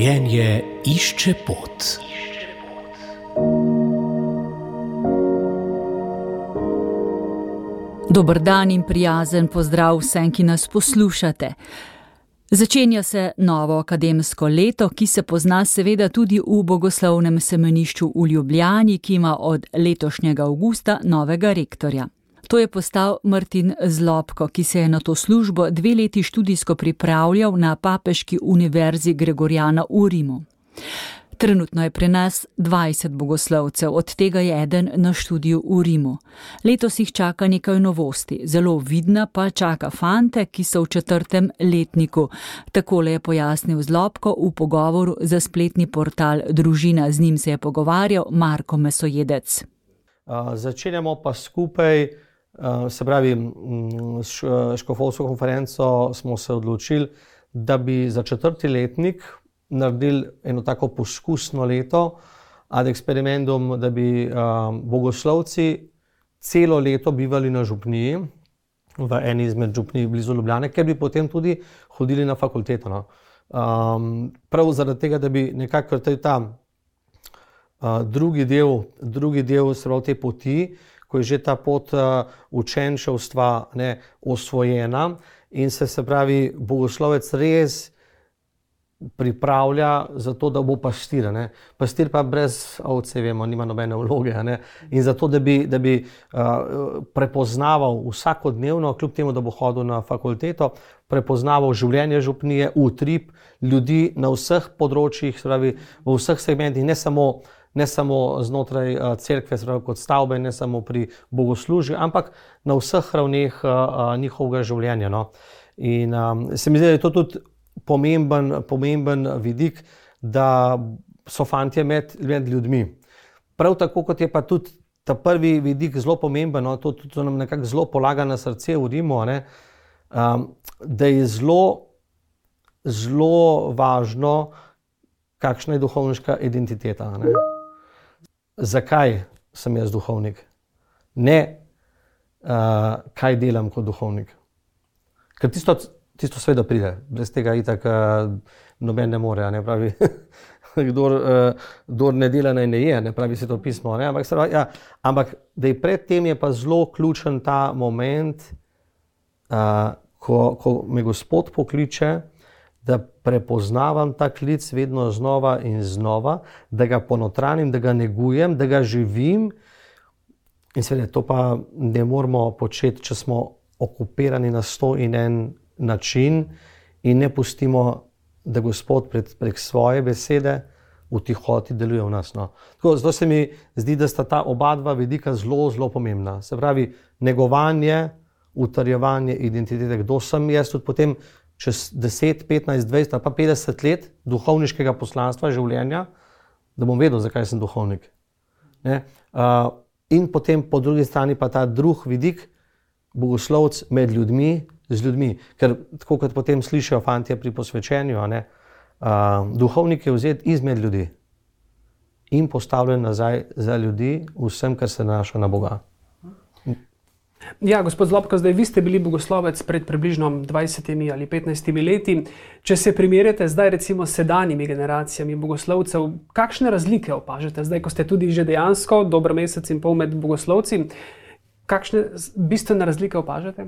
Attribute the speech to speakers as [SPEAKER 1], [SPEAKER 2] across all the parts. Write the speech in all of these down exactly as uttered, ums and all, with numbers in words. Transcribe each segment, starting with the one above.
[SPEAKER 1] Življenje išče pot.
[SPEAKER 2] Dober dan in prijazen pozdrav vsem, ki nas poslušate. Začenja se novo akademsko leto, ki se pozna seveda tudi v Bogoslovnem semenišču v Ljubljani, ki ima od letošnjega avgusta novega rektorja. To je postal Martin Zlobko, ki se je na to službo dve leti študijsko pripravljal na Papeški univerzi Gregorjana v Rimu. Trenutno je pri nas dvajset bogoslovcev, od tega je eden na študiju v Rimu. Letos jih čaka nekaj novosti, zelo vidna pa čaka fante, ki so v četrtem letniku. Takole je pojasnil Zlobko v pogovoru za spletni portal Družina. Z njim se je pogovarjal Marko Mesojedec.
[SPEAKER 3] Uh, začenjamo pa skupaj, uh, se pravi, s škofovsko konferenco smo se odločili, da bi za četrti letnik naredili eno tako poskusno leto ad experimentum, da bi um, bogoslovci celo leto bivali na župniji, v eni izmed župnij blizu Ljubljane, ker bi potem tudi hodili na fakulteto. No. Um, prav zaradi tega, da bi nekako ta uh, drugi del, drugi del te poti, ko je že ta pot uh, učenčevstva ne, osvojena in se, se pravi, bogoslovec res pripravlja za to, da bo pastir. Ne. Pastir pa brez ovce, vemo, nima nobene vloge. Ne. In zato, da bi, da bi uh, prepoznaval vsakodnevno, kljub temu, da bo hodil na fakulteto, prepoznaval življenje župnije, utrip ljudi na vseh področjih, pravi, v vseh segmentih, ne samo, ne samo znotraj uh, cerkve, pravi, kot stavbe, ne samo pri bogoslužju, ampak na vseh ravneh uh, uh, njihovega življenja. No. In um, se mi zdi, da je to tudi Pomemben, pomemben vidik, da so fantje med, med ljudmi. Prav tako, kot je pa tudi ta prvi vidik zelo pomemben, no, to, to nam nekako zelo polaga na srce v Rimu, ne, um, da je zelo, zelo važno, kakšna je duhovniška identiteta. Ne. Zakaj sem jaz duhovnik? Ne, uh, kaj delam kot duhovnik. Ker tisto Tisto seveda pride, brez tega itak uh, noben ne more, ne pravi, kdor, uh, kdor ne dela, naj ne je, ne pravi se to pismo, ne, ampak, ja, ampak da je pred tem je pa zelo ključen ta moment, uh, ko, ko me Gospod pokliče, da prepoznavam ta klic vedno znova in znova, da ga ponotranim, da ga negujem, da ga živim in seveda to pa ne moramo početi, če smo okupirani na sto in en način in ne pustimo, da Gospod prek, prek svoje besede v tihoti deluje v nas. No. Tako, zato se mi zdi, da sta ta oba dva vidika zelo, zelo pomembna. Se pravi, negovanje, utrjevanje identitete, kdo sem jaz, tudi potem čez deset, petnajst, dvajset ali pa petdeset let duhovniškega poslanstva življenja, da bom vedel, zakaj sem duhovnik. Ne? Uh, in potem po drugi strani pa ta drug vidik, bogoslovec med ljudmi, z ljudmi, ker tako kot potem slišijo fantje pri posvečenju, ne, uh, duhovnik je vzet izmed ljudi in postavljen nazaj za ljudi vsem, kar se nanaša na Boga.
[SPEAKER 4] Ja, gospod Zlobko, zdaj vi ste bili bogoslovec pred približno dvajsetimi ali petnajstimi leti. Če se primerjate zdaj recimo s sedanjimi generacijami bogoslovcev, kakšne razlike opažate zdaj, ko ste tudi že dejansko dober mesec in pol med bogoslovci, kakšne bistvene razlike opažate?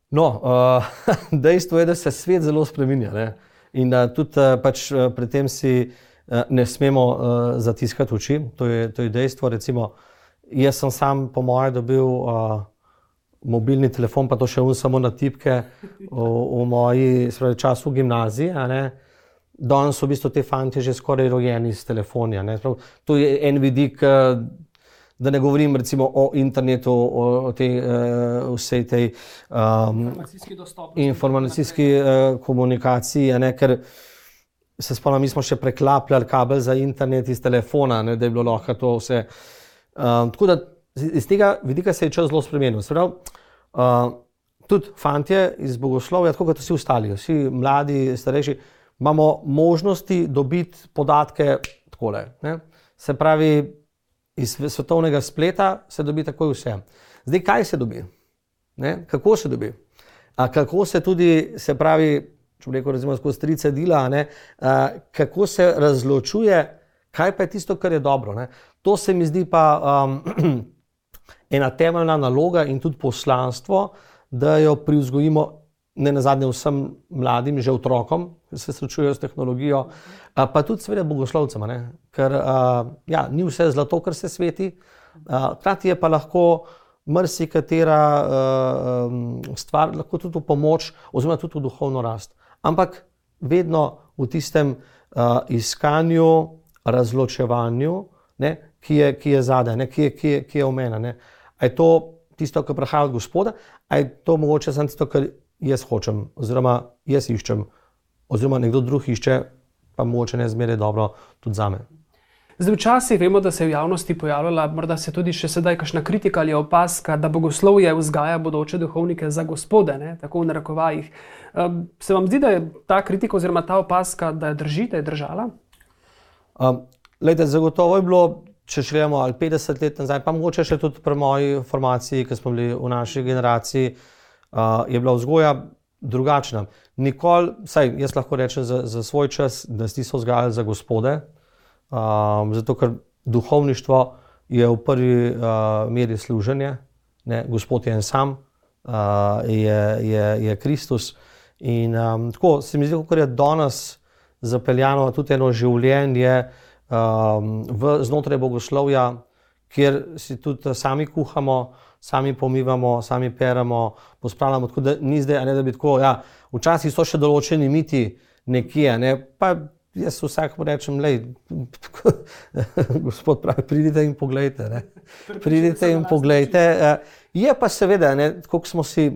[SPEAKER 3] No, uh, dejstvo je, da se svet zelo spreminja, ne? In uh, tudi uh, pač uh, pri tem si uh, ne smemo uh, zatiskati oči, to je, to je dejstvo. Recimo, jaz sem sam po moje dobil uh, mobilni telefon, pa to še un samo na tipke v, v moji spravi, času v gimnaziji. A ne? Danes so v bistvu te fantje že skoraj rojeni s telefonja. Ne? Sprav, to je en vidik, uh, da ne govorim recimo o internetu, o, o tej, uh, vsej tej um, informacijski uh, komunikaciji, ne, ker se spomnim, mi smo še preklapljali kabel za internet iz telefona, ne, da je bilo lahko to vse. Um, tako da iz tega vidika se je čas zelo spremenil. Se pravi, uh, tudi fantje iz bogoslovja, tako kot vsi ostali, vsi mladi, starejši, imamo možnosti dobiti podatke takole. Ne. Se pravi, iz svetovnega spleta se dobi takoj vse. Zdaj, kaj se dobi? Ne? Kako se dobi? A kako se tudi, se pravi, če bi rekel, recimo skozi tri cedila, ne, uh, kako se razločuje, kaj pa je tisto, kar je dobro. Ne. To se mi zdi pa um, ena temeljna naloga in tudi poslanstvo, da jo privzgojimo ne nazadnje vsem mladim, že otrokom, ki se srečujejo s tehnologijo, uh, pa tudi seveda bogoslovcem, ne. Ker uh, ja, ni vse zlato, kar se sveti, hkrati uh, je pa lahko marsikatera uh, stvar, lahko tudi v pomoč, oziroma tudi v duhovno rast. Ampak vedno v tistem uh, iskanju, razločevanju, ne, ki je, ki je zadaj, ne, ki je, ki je, ki je omena. Ne. A je to tisto, kar prihaja od Gospoda, a je to mogoče samo tisto, kar jaz hočem, oziroma jaz iščem, oziroma nekdo drug išče, pa mogoče ne zmeraj dobro tudi zame.
[SPEAKER 4] Zdaj, včasih vemo, da se je v javnosti pojavljala, morda se tudi še sedaj kakšna kritika ali opaska, da bogoslovje vzgaja bodoče duhovnike za Gospode, ne, tako v narekovajih. Se vam zdi, da je ta kritika oziroma ta opaska, da je drži, da je držala?
[SPEAKER 3] Um, lejte, zagotovo je bilo, če šljemo ali petdeset let nazaj, pa mogoče še tudi pri moji formaciji, ki smo bili v naši generaciji, uh, je bila vzgoja drugačna. Nikoli, saj jaz lahko rečem za, za svoj čas, da nas niso vzgajali za Gospode, Um, zato, ker duhovništvo je v prvi uh, meri služenje, ne, Gospod je en sam, uh, je, je, je Kristus in um, tako se mi zdi, kako je danes zapeljano tudi eno življenje um, v, znotraj bogoslovja, kjer si tudi sami kuhamo, sami pomivamo, sami peremo, pospravljamo, tako da ni zdaj, a ne da bi tako, ja, včasih so še določeni miti nekje, ne, pa jaz vsakemu rečem, lej, Gospod pravi, pridite in poglejte, ne. Pridite in poglejte. Je pa seveda, ne, tako smo si,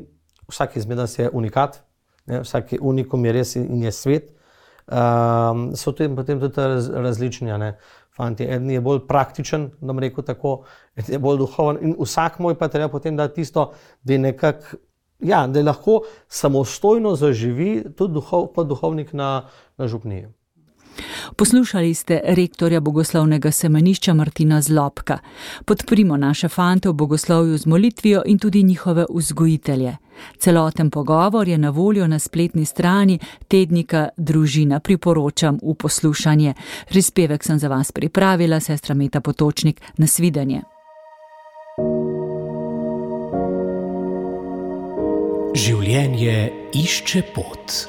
[SPEAKER 3] vsak izmed nas je unikat, ne, vsak unikum je res in je svet, um, so tudi potem tudi raz, različni, ne, fanti. Eden je bolj praktičen, da bom rekel tako, eden je bolj duhoven in vsak moj pa treba potem dati tisto, da je nekako, ja, da je lahko samostojno zaživi tudi duhov, pa duhovnik na, na župniji.
[SPEAKER 2] Poslušali ste rektorja bogoslovnega semenišča Martina Zlobka. Podprimo naše fante v bogoslovju z molitvijo in tudi njihove vzgojitelje. Celoten pogovor je na voljo na spletni strani tednika Družina. Priporočam v poslušanje. Prispevek sem za vas pripravila, sestra Meta Potočnik. Nasvidenje.
[SPEAKER 1] Življenje išče pot.